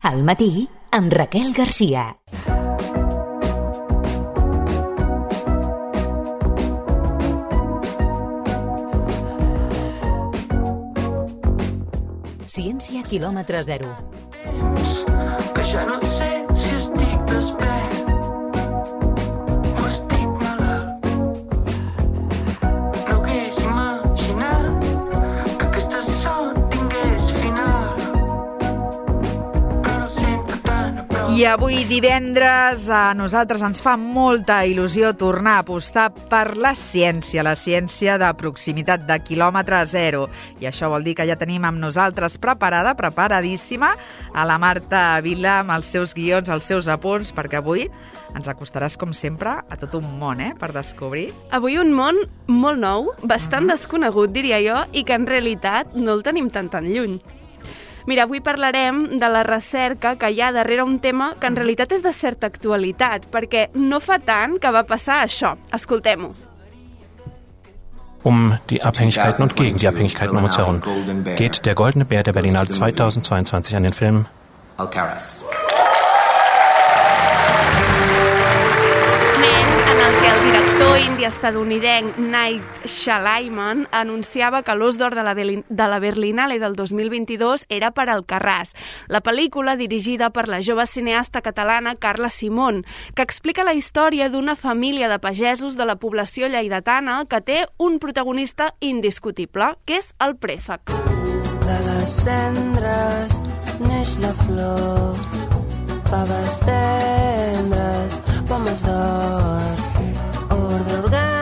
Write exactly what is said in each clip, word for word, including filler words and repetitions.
Al matí, amb Raquel Garcia. Ciència quilòmetre zero. Que ja no sé si estic despert o estic malalt. No hagués imaginat que aquesta son tingués final, però no sento tan a prop. I avui divendres a nosaltres ens fa molta il·lusió tornar a apostar per la ciència, la ciència de proximitat de quilòmetre zero. I això vol dir que ja tenim amb nosaltres preparada, preparadíssima, a la Marta Vila amb els seus guions, els seus apunts, perquè avui ens acostaràs, com sempre, a tot un món, eh, per descobrir. Avui un món molt nou, bastant uh-huh. desconegut, diria jo, i que en realitat no el tenim tan tan lluny. Mira, avui parlarem de la recerca que hi ha darrere un tema que en realitat és de certa actualitat, perquè no fa tant que va passar això. Escoltem-ho. Um die Abhängigkeiten und gegen die Abhängigkeiten um uns herum geht der Goldene Bär der Berlinale zweitausendzweiundzwanzig an den Film Alcaraz. En el que el director indi-estadounidenc Night Shyamalan anunciava que l'Os d'Or de la, de la Berlinale del dos mil vint-i-dos era per Alcarràs, la pel·lícula dirigida per la jove cineasta catalana Carla Simón, que explica la història d'una família de pagesos de la població lleidatana que té un protagonista indiscutible, que és el préssec. De les cendres neix la flor, faves tendres, pomes d'or, ordre orgànic.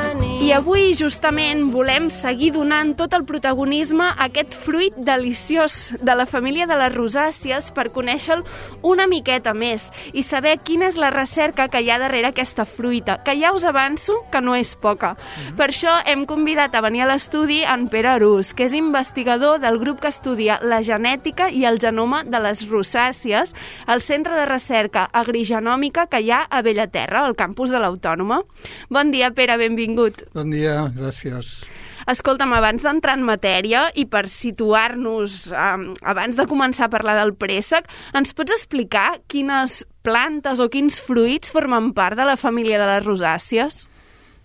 I avui, justament, volem seguir donant tot el protagonisme a aquest fruit deliciós de la família de les rosàcies per conèixer-lo una miqueta més i saber quina és la recerca que hi ha darrere aquesta fruita, que ja us avanço que no és poca. Mm-hmm. Per això hem convidat a venir a l'estudi en Pere Arús, que és investigador del grup que estudia la genètica i el genoma de les rosàcies al Centre de Recerca Agrigenòmica que hi ha a Bellaterra, al campus de l'Autònoma. Bon dia, Pere, benvingut. Bon dia, gràcies. Escolta'm, abans d'entrar en matèria i per situar-nos, um, abans de començar a parlar del préssec, ens pots explicar quines plantes o quins fruits formen part de la família de les rosàcies?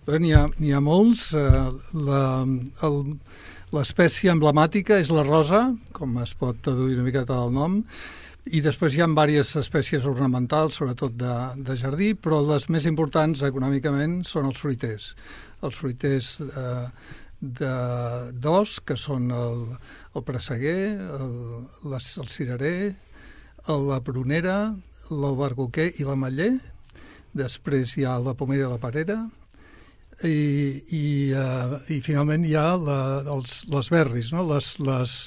Bé, n'hi ha, n'hi ha molts. Uh, la, el, l'espècie emblemàtica és la rosa, com es pot deduir una miqueta del nom, i després hi ha diverses espècies ornamentals, sobretot de, de jardí, però les més importants econòmicament són els fruiters. Els fruiters eh, de, d'os, que són el, el presseguer, el, les, el cirerer, el, la prunera, l'albercoquer i l'ametller. Després hi ha la pomera i la perera. I, i, uh, i finalment hi ha la, els, les berris, no? les... les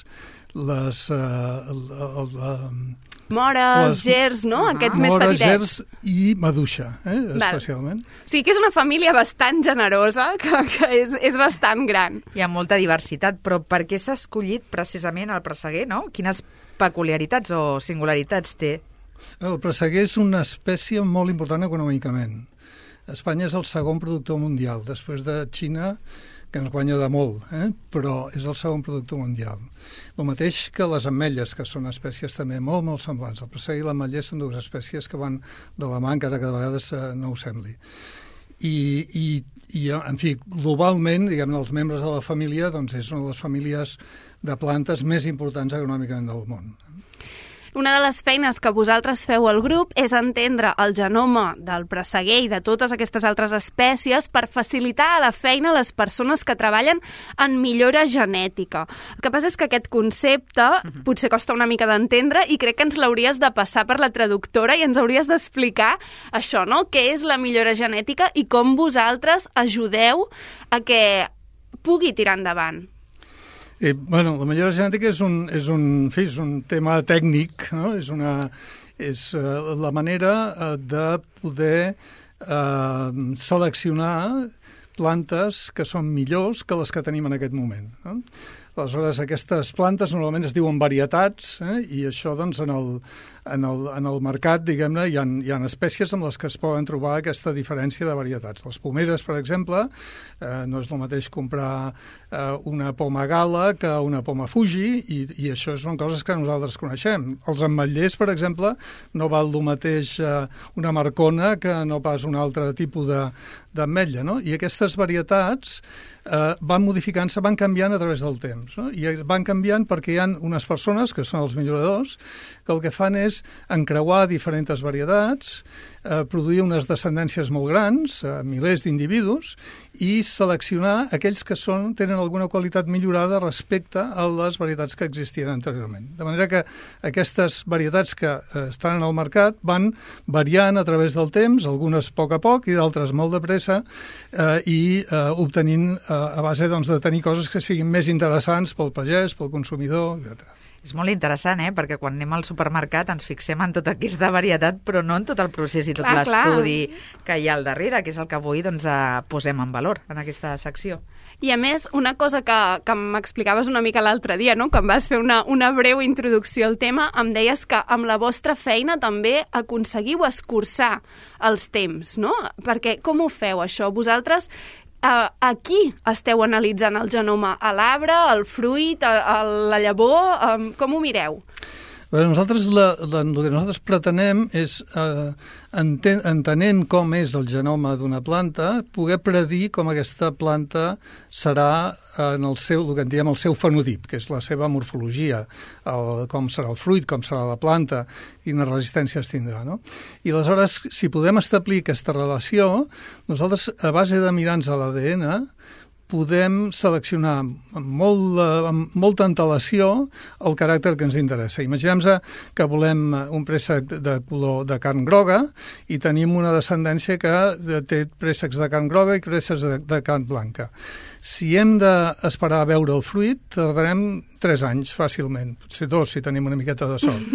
les uh, el, el, el, mores, les, gers, no? Aquests més mores, petitets. Gers i maduixa, eh? especialment. O sigui que és una família bastant generosa, que, que és, és bastant gran. Hi ha molta diversitat, però per què s'ha escollit precisament el presseguer, no? Quines peculiaritats o singularitats té? El presseguer és una espècie molt important econòmicament. Espanya és el segon productor mundial, després de Xina, que ens guanya de molt, eh? però és el segon productor mundial. El mateix que les ametlles, que són espècies també molt, molt semblants. El presseguer i l'ametller són dues espècies que van de la mà, encara que de vegades eh, no ho sembli. I, i, i, en fi, globalment, diguem-ne, els membres de la família, doncs és una de les famílies de plantes més importants econòmicament del món. Una de les feines que vosaltres feu al grup és entendre el genoma del presseguer i de totes aquestes altres espècies per facilitar la feina a les persones que treballen en millora genètica. El que passa és que aquest concepte uh-huh. potser costa una mica d'entendre i crec que ens l'hauries de passar per la traductora i ens hauries d'explicar això, no? Què és la millora genètica i com vosaltres ajudeu a que pugui tirar endavant. Eh, bueno, la millora genètica és un, és un, en fi, és un tema tècnic, no? És, una, és uh, la manera uh, de poder uh, seleccionar plantes que són millors que les que tenim en aquest moment, no? Aleshores, aquestes plantes normalment es diuen varietats, eh? I això, doncs, en el, en el, en el mercat, diguem-ne, hi ha, hi ha espècies amb les que es poden trobar aquesta diferència de varietats. Les pomeres, per exemple, eh, no és el mateix comprar eh, una poma gala que una poma Fuji, i, i això són coses que nosaltres coneixem. Els ametllers, per exemple, no val el mateix eh, una marcona que no pas un altre tipus de, d'ametlla, no? I aquestes varietats eh, van modificant-se, van canviant a través del temps, no? I van canviant perquè hi ha unes persones, que són els milloradors, que el que fan és encreuar diferents varietats, eh, produir unes descendències molt grans, eh, milers d'individus, i seleccionar aquells que són, tenen alguna qualitat millorada respecte a les varietats que existien anteriorment. De manera que aquestes varietats que eh, estan en el mercat van variant a través del temps, algunes a poc a poc i d'altres molt de pressa, eh, i eh, obtenint eh, a base doncs, de tenir coses que siguin més interessants pel pagès, pel consumidor, etcètera. És molt interessant, eh? Perquè quan anem al supermercat ens fixem en tota aquesta varietat, però no en tot el procés i tot clar, l'estudi clar. que hi ha al darrere, que és el que avui doncs, eh, posem en valor en aquesta secció. I a més, una cosa que, que m'explicaves una mica l'altre dia, no? Quan vas fer una, una breu introducció al tema, em deies que amb la vostra feina també aconseguiu escurçar els temps, no? Perquè com ho feu, això? Vosaltres a, a qui esteu analitzant el genoma? A l'arbre, al fruit, a, a la llavor? Um, com ho mireu? Bé, nosaltres la, la, el que nosaltres pretenem és, eh, enten, entenent com és el genoma d'una planta, poder predir com aquesta planta serà en el seu, el que en diem el seu fenotip, que és la seva morfologia, el, com serà el fruit, com serà la planta, quines resistències tindrà, no? I aleshores, si podem establir aquesta relació, nosaltres, a base de mirar-nos a l'A D N, podem seleccionar amb, molt, amb molta antelació el caràcter que ens interessa. Imaginem-nos que volem un préssec de color de carn groga i tenim una descendència que té préssecs de carn groga i préssecs de, de carn blanca. Si hem d'esperar a veure el fruit, tardarem tres anys fàcilment, potser dos si tenim una miqueta de sort.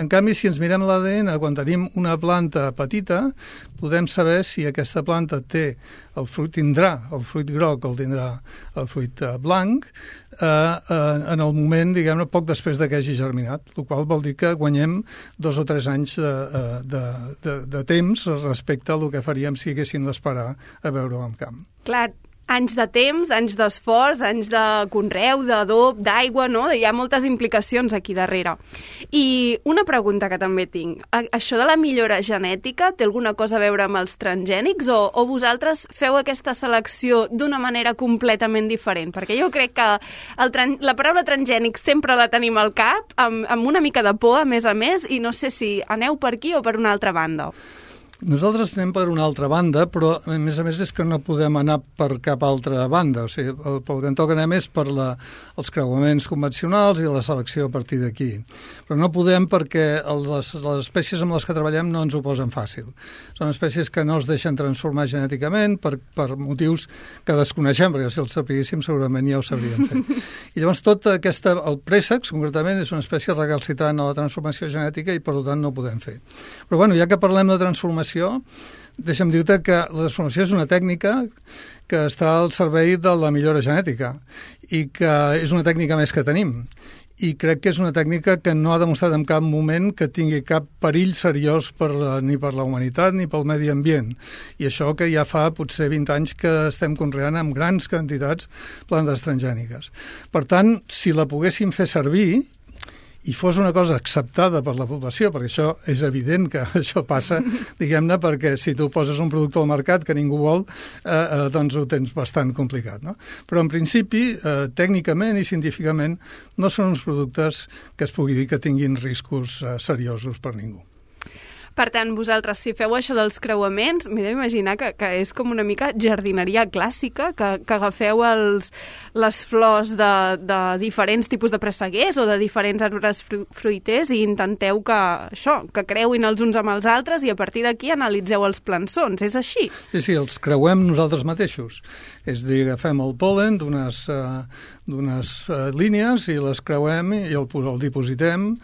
En canvi, si ens mirem l'A D N, quan tenim una planta petita, podem saber si aquesta planta té el fruit, tindrà el fruit groc o el tindrà el fruit blanc eh, eh, en el moment, diguem-ne, poc després de que hagi germinat, el qual vol dir que guanyem dos o tres anys de, de, de, de temps respecte a el que faríem si haguéssim d'esperar a veure-ho en camp. Clar, anys de temps, anys d'esforç, anys de conreu, d'adob, d'aigua, no? Hi ha moltes implicacions aquí darrere. I una pregunta que també tinc. Això de la millora genètica té alguna cosa a veure amb els transgènics o, o vosaltres feu aquesta selecció d'una manera completament diferent? Perquè jo crec que el tran la paraula transgènic sempre la tenim al cap, amb, amb una mica de por, a més a més, i no sé si aneu per aquí o per una altra banda. Nosaltres anem per una altra banda, però a més a més és que no podem anar per cap altra banda. O sigui, el, pel que en toca anem és per la, els creuaments convencionals i la selecció a partir d'aquí. Però no podem perquè les, les espècies amb les que treballem no ens ho posen fàcil. Són espècies que no es deixen transformar genèticament per, per motius que desconeixem, perquè si els sapiguéssim segurament ja ho sabríem fer. I llavors tot aquesta, el préssex, concretament, és una espècie recalcitrant a la transformació genètica i per tant no ho podem fer. Però bueno, ja que parlem de transformació, deixa'm dir-te que la transformació és una tècnica que està al servei de la millora genètica i que és una tècnica més que tenim. I crec que és una tècnica que no ha demostrat en cap moment que tingui cap perill seriós per la, ni per la humanitat ni pel medi ambient. I això que ja fa potser vint anys que estem conreant amb grans quantitats plantes transgèniques. Per tant, si la poguéssim fer servir i fos una cosa acceptada per la població, perquè això és evident que això passa, diguem-ne, perquè si tu poses un producte al mercat que ningú vol, eh, eh, doncs ho tens bastant complicat, no? Però en principi, eh, tècnicament i científicament, no són uns productes que es pugui dir que tinguin riscos eh, seriosos per ningú. Per tant, vosaltres, si feu això dels creuaments, m'he d'imaginar que, que és com una mica jardineria clàssica, que, que agafeu els, les flors de, de diferents tipus de presseguers o de diferents arbres fru fruiters i intenteu que això, que creuin els uns amb els altres i a partir d'aquí analitzeu els plançons. És així? Sí, sí, els creuem nosaltres mateixos. És a dir, agafem el pol·len d'unes uh, d'unes uh, línies i les creuem i el, el dipositem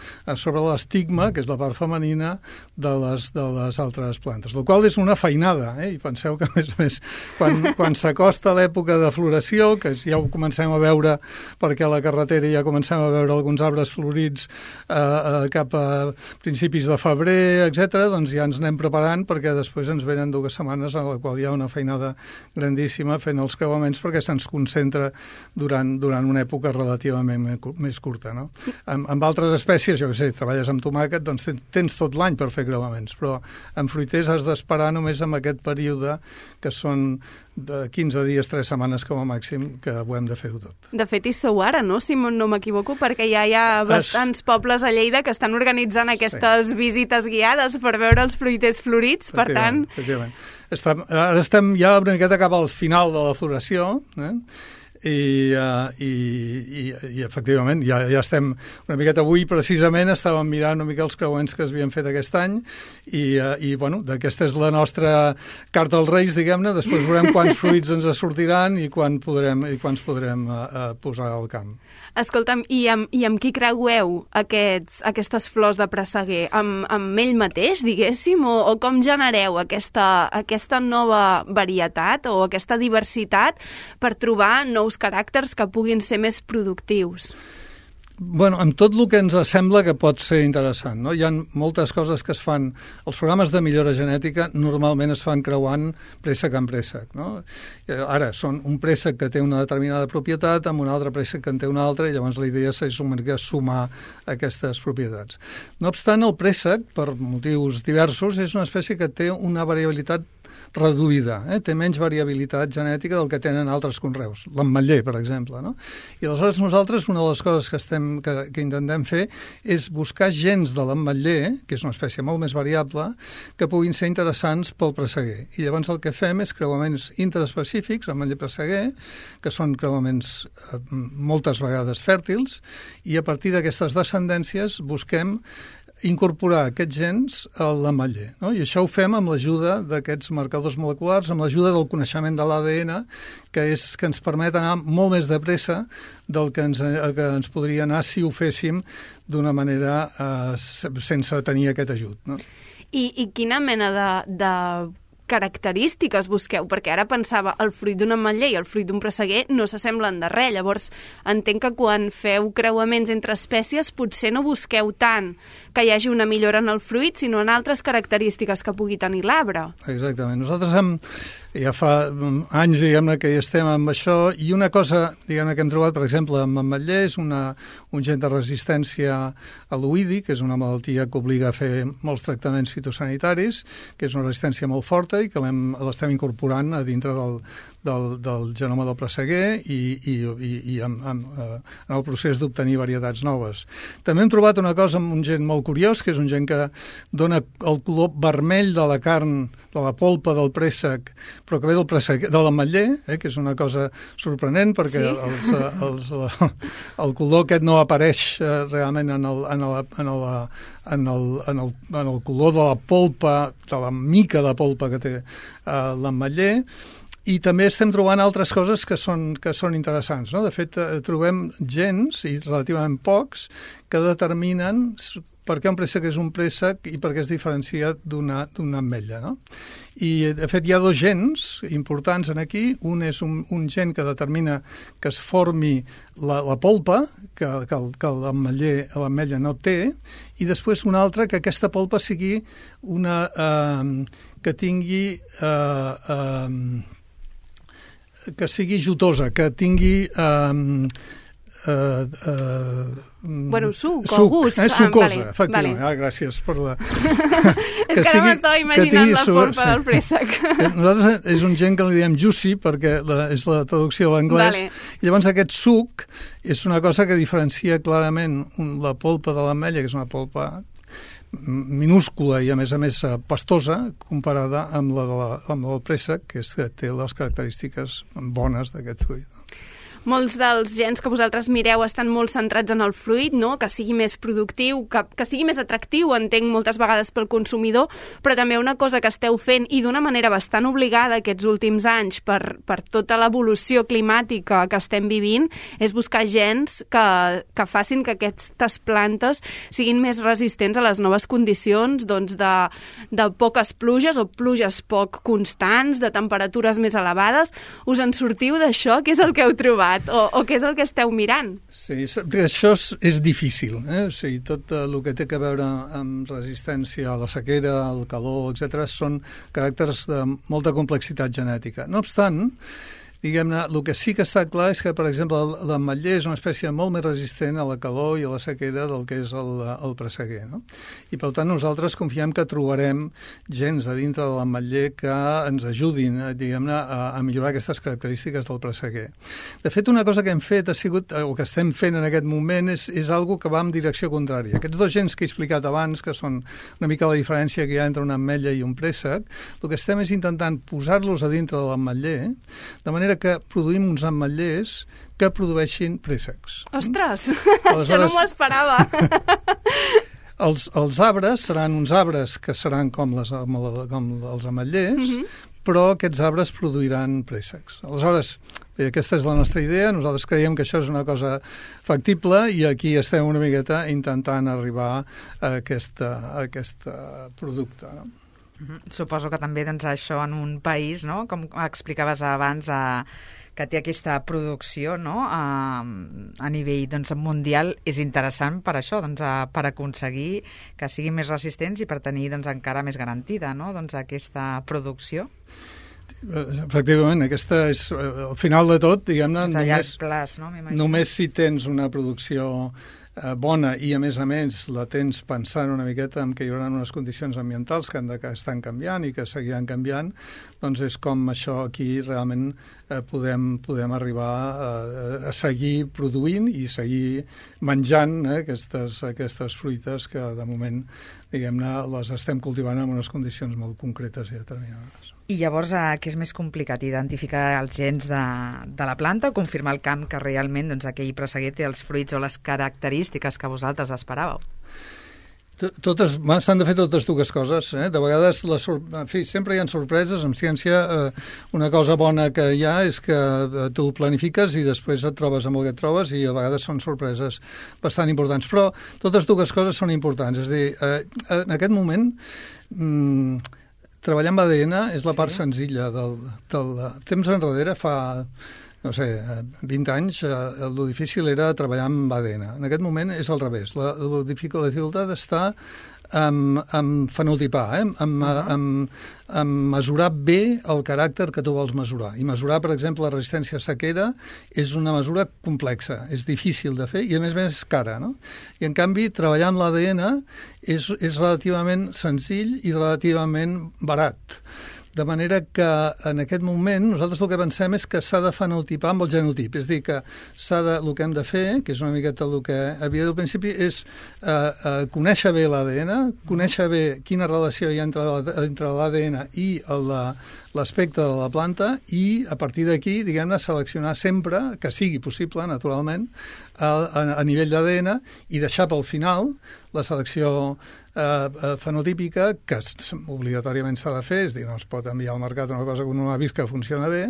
sobre l'estigma, que és la part femenina, del les, de les altres plantes, el qual és una feinada, eh? I penseu que, a més a més, quan, quan s'acosta l'època de floració, que ja ho comencem a veure perquè a la carretera ja comencem a veure alguns arbres florits eh, eh, cap a principis de febrer, etcètera, doncs ja ens anem preparant perquè després ens venen dues setmanes en la qual hi ha una feinada grandíssima fent els creuaments perquè se'ns concentra durant, durant una època relativament més curta, no? Amb, amb altres espècies, jo què sé, treballes amb tomàquet, doncs tens tot l'any per fer creuaments, però en fruiters has d'esperar només en aquest període que són de quinze dies, tres setmanes com a màxim, que ho hem de fer-ho tot. De fet, hi sou ara, no?, si no m'equivoco, perquè ja hi ha bastants es... pobles a Lleida que estan organitzant aquestes sí. visites guiades per veure els fruiters florits, per tant... Efectivament. Estem, ara estem ja una miqueta cap al final de la floració, eh? I, uh, i, i, i efectivament ja, ja estem una miqueta avui precisament estàvem mirant una mica els creuaments que s'havien fet aquest any i, uh, i bueno, aquesta és la nostra carta als Reis, diguem-ne, després veurem quants fruits ens sortiran i quan podrem, i quants podrem uh, uh, posar al camp. Escolta'm, i amb, i amb qui creueu aquests, aquestes flors de presseguer? Amb, amb ell mateix, diguéssim, o, o com genereu aquesta, aquesta nova varietat o aquesta diversitat per trobar nous caràcters que puguin ser més productius? Bueno, amb tot el que ens sembla que pot ser interessant, no? Hi ha moltes coses que es fan... Els programes de millora genètica normalment es fan creuant préssec amb préssec, no? Ara, són un préssec que té una determinada propietat amb un altre préssec que en té una altra i llavors la idea és una mica sumar aquestes propietats. No obstant, el préssec, per motius diversos, és una espècie que té una variabilitat reduïda, eh? Té menys variabilitat genètica del que tenen altres conreus, l'ametller, per exemple, no? I aleshores nosaltres una de les coses que, estem, que, que intentem fer és buscar gens de l'ametller, que és una espècie molt més variable, que puguin ser interessants pel presseguer. I llavors el que fem és creuaments interespecífics, ametller-presseguer, que són creuaments eh, moltes vegades fèrtils, i a partir d'aquestes descendències busquem incorporar aquests gens a l'ametller, no? I això ho fem amb l'ajuda d'aquests marcadors moleculars, amb l'ajuda del coneixement de l'A D N, que, és, que ens permet anar molt més de pressa del que ens, que ens podria anar si ho féssim d'una manera eh, sense tenir aquest ajut, no? I, i quina mena de, de característiques busqueu? Perquè ara pensava, el fruit d'un ametller i el fruit d'un presseguer no s'assemblen de res, llavors entenc que quan feu creuaments entre espècies potser no busqueu tant que hi hagi una millora en el fruit, sinó en altres característiques que pugui tenir l'arbre. Exactament. Nosaltres hem, ja fa anys, diguem-ne, que hi estem amb això, i una cosa, diguem-ne, que hem trobat, per exemple, amb ametller, és una, un gen de resistència a l'oïdi, que és una malaltia que obliga a fer molts tractaments fitosanitaris, que és una resistència molt forta i que l'estem incorporant a dintre del, del, del genoma del presseguer i, i, i, i en, en, en el procés d'obtenir varietats noves. També hem trobat una cosa amb un gen molt curiós, que és un gen que dona el color vermell de la carn, de la polpa del préssec, però que ve del préssec, de l'ametller, eh, que és una cosa sorprenent, perquè sí? els, els, el color aquest no apareix eh, realment en el, en, el, en, el, en, el, en, el, en el color de la polpa, de la mica de polpa que té eh, l'ametller. I també estem trobant altres coses que són, que són interessants, no? De fet, eh, trobem gens, i relativament pocs, que determinen per què un préssec és un préssec i per què es diferencia d'una d'una ametlla, no? I, de fet, hi ha dos gens importants en aquí. Un és un, un gen que determina que es formi la, la polpa, que, que, que l'ametlla no té, i després un altre que aquesta polpa sigui una... Eh, que tingui... Eh, eh, que sigui jutosa, que tingui... Eh, Uh, uh, bueno, suc, suc o gust. Eh, sucosa, ah, vale, efectivament. Vale. Ah, gràcies per la... és que, que ara m'estava imaginant la polpa sí. del préssec. Nosaltres és un gen que li diem juicy, perquè la, és la traducció de l'anglès. Vale. I llavors aquest suc és una cosa que diferencia clarament la polpa de l'ametlla, que és una polpa minúscula i a més a més pastosa comparada amb la, de la, amb el préssec, que, és, que té les característiques bones d'aquest fruit. molts dels gens que vosaltres mireu estan molt centrats en el fruit, no? Que sigui més productiu, que, que sigui més atractiu, entenc, moltes vegades pel consumidor, però també una cosa que esteu fent, i d'una manera bastant obligada aquests últims anys per, per tota l'evolució climàtica que estem vivint, és buscar gens que, que facin que aquestes plantes siguin més resistents a les noves condicions, doncs, de, de poques pluges o pluges poc constants, de temperatures més elevades. Us en sortiu d'això? Què és el que heu trobat? O, o què és el que esteu mirant? Sí, això és, és difícil. Eh? O sigui, tot el que té a veure amb resistència a la sequera, al calor, etcètera, són caràcters de molta complexitat genètica. No obstant, diguem-ne, el que sí que està clar és que, per exemple, l'ametller és una espècie molt més resistent a la calor i a la sequera del que és el, el presseguer, no? I, per tant, nosaltres confiem que trobarem gens a dintre de l'ametller que ens ajudin, diguem-ne, a, a millorar aquestes característiques del presseguer. De fet, una cosa que hem fet ha sigut, o que estem fent en aquest moment, és, és algo que va en direcció contrària. Aquests dos gens que he explicat abans, que són una mica la diferència que hi ha entre una ametlla i un préssec, el que estem és intentant posar-los a dintre de l'ametller, de manera que produïm uns ametllers que produeixin préssecs. Ostres, Aleshores, això no m'ho esperava. els, els arbres seran uns arbres que seran com, les, com els ametllers, mm-hmm. però aquests arbres produiran préssecs. Aleshores, bé, aquesta és la nostra idea, nosaltres creiem que això és una cosa factible i aquí estem una miqueta intentant arribar a aquest a aquest producte, no? Suposo que també doncs, això en un país, no? Com explicaves abans, eh, que té aquesta producció, no? a, a nivell doncs, mundial, és interessant per això, doncs, a, per aconseguir que siguin més resistents i per tenir doncs, encara més garantida, no? doncs, aquesta producció. Efectivament, aquesta és al final de tot, diguem-ne, doncs a llarg plaç, no? Només si tens una producció eh, bona i a més a més la tens pensant una miqueta en que hi haurà unes condicions ambientals que, han de, que estan canviant i que seguiran canviant, doncs és com això aquí realment eh, podem, podem arribar a, a seguir produint i seguir menjant eh, aquestes, aquestes fruites que de moment, diguem-ne, les estem cultivant en unes condicions molt concretes i determinades. I llavors, eh, què és més complicat? Identificar els gens de, de la planta o confirmar el camp que realment doncs, aquell presseguer té els fruits o les característiques que vosaltres esperàveu? Totes, s'han de fer totes dues coses. Eh? De vegades, la en fi, sempre hi ha sorpreses. En ciència, eh, una cosa bona que hi ha és que eh, tu planifiques i després et trobes amb el que et trobes i a vegades són sorpreses bastant importants. Però totes dues coses són importants. És a dir, eh, en aquest moment... Mm, treballar amb A D N és la part sí. senzilla del, del temps enrere, fa, no sé, vint anys, el difícil era treballar amb A D N. En aquest moment és al revés. La, la dificultat està en, en fenotipar, eh? en, uh-huh. en, en mesurar bé el caràcter que tu vols mesurar. I mesurar, per exemple, la resistència a sequera és una mesura complexa, és difícil de fer i, a més a més, és cara, no? I, en canvi, treballar amb l'A D N és, és relativament senzill i relativament barat. De manera que en aquest moment nosaltres el que pensem és que s'ha de fenotipar amb el genotip, és a dir, que s'ha de, el que hem de fer, que és una miqueta el que havia del principi, és eh, eh, conèixer bé l'A D N, conèixer bé quina relació hi ha entre, entre l'A D N i l'aspecte de la planta i a partir d'aquí, diguem-ne, seleccionar sempre, que sigui possible, naturalment, a, a, a nivell d'A D N i deixar pel final la selecció eh, fenotípica, que obligatòriament s'ha de fer, és dir, no es pot enviar al mercat una cosa que no ha vist que funciona bé,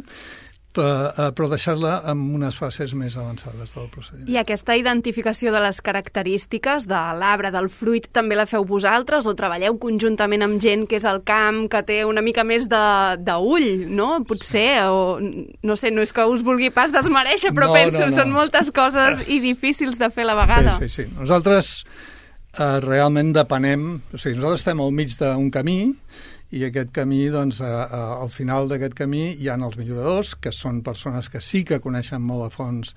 però deixar-la en unes fases més avançades del procediment. I aquesta identificació de les característiques de l'arbre, del fruit, també la feu vosaltres o treballeu conjuntament amb gent que és al camp, que té una mica més d'ull, no? Potser, o no sé, no és que us vulgui pas desmereixer, però no, penso, no, no. són moltes coses i difícils de fer a la vegada. Sí, sí, sí. Nosaltres eh, realment depenem, o sigui, nosaltres estem al mig d'un camí i aquest camí, doncs, a, a, al final d'aquest camí hi ha els milloradors, que són persones que sí que coneixen molt a fons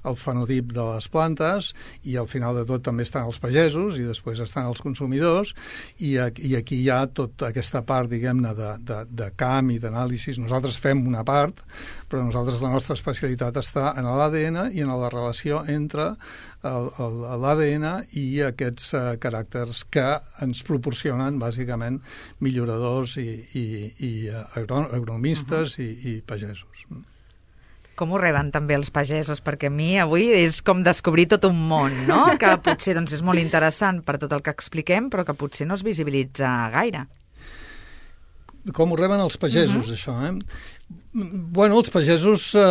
el fenotip de les plantes, i al final de tot també estan els pagesos, i després estan els consumidors, i, i aquí hi ha tota aquesta part, diguem-ne, de, de, de camp i d'anàlisi. Nosaltres fem una part, però nosaltres la nostra especialitat està en l'A D N i en la relació entre l'A D N i aquests uh, caràcters que ens proporcionen, bàsicament, milloradors i, i, i uh, agronomistes uh-huh. i, i pagesos. Com ho reben també els pagesos? Perquè a mi avui és com descobrir tot un món, no? Que potser doncs, és molt interessant per tot el que expliquem, però que potser no es visibilitza gaire. Com ho reben els pagesos, uh-huh. això, eh? Bueno, els pagesos eh,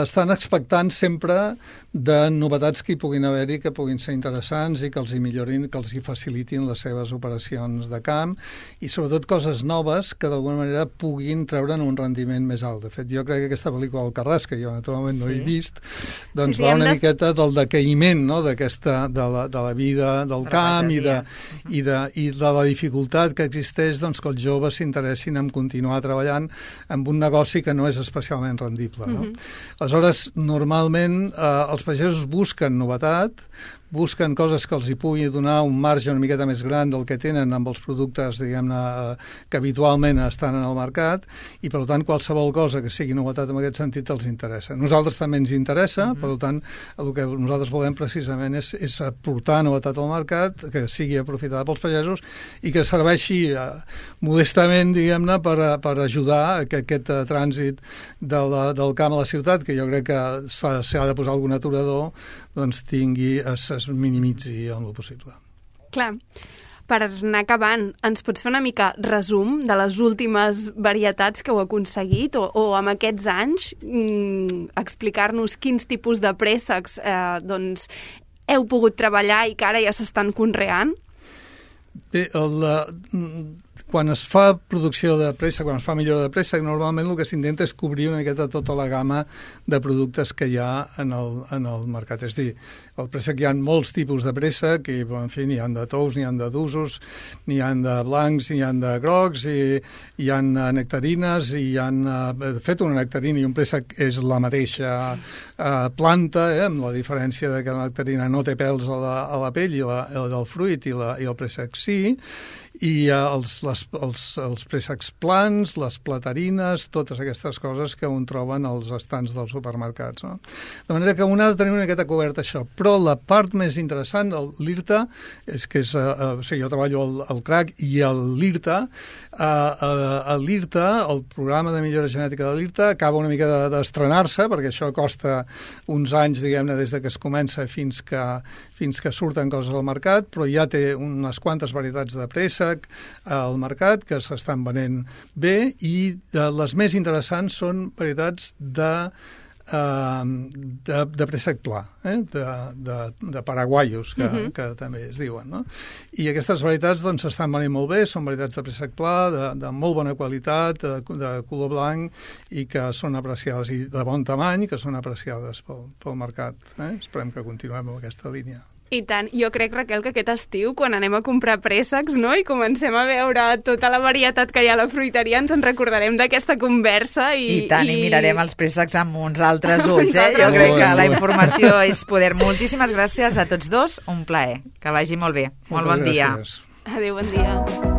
estan expectants sempre de novetats que hi puguin haver-hi, que puguin ser interessants i que els hi millorin, que els hi facilitin les seves operacions de camp i sobretot coses noves que d'alguna manera puguin treure'n un rendiment més alt. De fet, jo crec que aquesta pel·lícula del Carràs, que jo naturalment no sí. he vist, doncs sí, sí, va una de... miqueta del decaïment, no?, d'aquesta, de, la, de la vida del de camp i de, i, de, i de la dificultat que existeix doncs, que els joves s'interessin en continuar treballant amb un negoci que no és especialment rendible. No? Mm-hmm. Aleshores, normalment eh, els pagesos busquen novetat, busquen coses que els hi pugui donar un marge una miqueta més gran del que tenen amb els productes, diguem-ne, que habitualment estan en el mercat, i per tant qualsevol cosa que sigui novetat en aquest sentit els interessa. Nosaltres també ens interessa, mm-hmm. per tant, el que nosaltres volem precisament és, és aportar novetat al mercat, que sigui aprofitada pels pagesos i que serveixi eh, modestament, diguem-ne, per, per ajudar a que aquest eh, trànsit de la, del camp a la ciutat, que jo crec que s'ha, s'ha de posar algun aturador, doncs tingui, es, es minimitzi en lo possible. Clar. Per anar acabant, ens pots fer una mica resum de les últimes varietats que heu aconseguit o, o amb aquests anys mmm, explicar-nos quins tipus de préssecs eh, doncs, heu pogut treballar i que ara ja s'estan conreant? Bé, el, quan es fa producció de préssec, quan es fa millora de préssec, normalment el que s'intenta és cobrir una miqueta tota la gamma de productes que hi ha en el, en el mercat. És dir, el préssec hi ha molts tipus de préssec, i en fi, n'hi ha de tous, n'hi ha de d'usos, n'hi ha de blancs, n'hi ha de grocs, i hi ha nectarines, i hi ha... De fet, una nectarina i un préssec és la mateixa eh, planta, eh, amb la diferència de que la nectarina no té pèls a la, a la pell i la, el del fruit, i, la, i el préssec sí, i uh, els, les, els, els préssecs plans, les platarines, totes aquestes coses que un troben als estants dels supermercats. No? De manera que un ha de tenir una miqueta coberta això, però la part més interessant, l'I R T A, és que és, uh, o sigui, jo treballo al, al C R A C i l'I R T A, uh, uh, l'I R T A, el programa de millora genètica de l'I R T A, acaba una mica d'estrenar-se, perquè això costa uns anys, diguem-ne, des de que es comença fins que, fins que surten coses al mercat, però ja té unes quantes varietats de préssec al mercat que s'estan venent bé, i de les més interessants són varietats de, uh, de, de préssec pla, eh? de, de, de paraguaios, que, uh-huh. que també es diuen. No? I aquestes varietats doncs, s'estan venent molt bé, són varietats de préssec pla, de, de molt bona qualitat, de, de color blanc, i que són apreciades, i de bon tamany, que són apreciades pel, pel mercat. Eh? Esperem que continuem amb aquesta línia. I tant. Jo crec, Raquel, que aquest estiu, quan anem a comprar préssecs, no?, i comencem a veure tota la varietat que hi ha a la fruiteria, ens en recordarem d'aquesta conversa. I, I tant, i... i mirarem els préssecs amb uns altres ulls, eh? Jo crec que la informació és poder. Moltíssimes gràcies a tots dos, un plaer. Que vagi molt bé. Molt bon dia. Gràcies. Adéu, bon dia.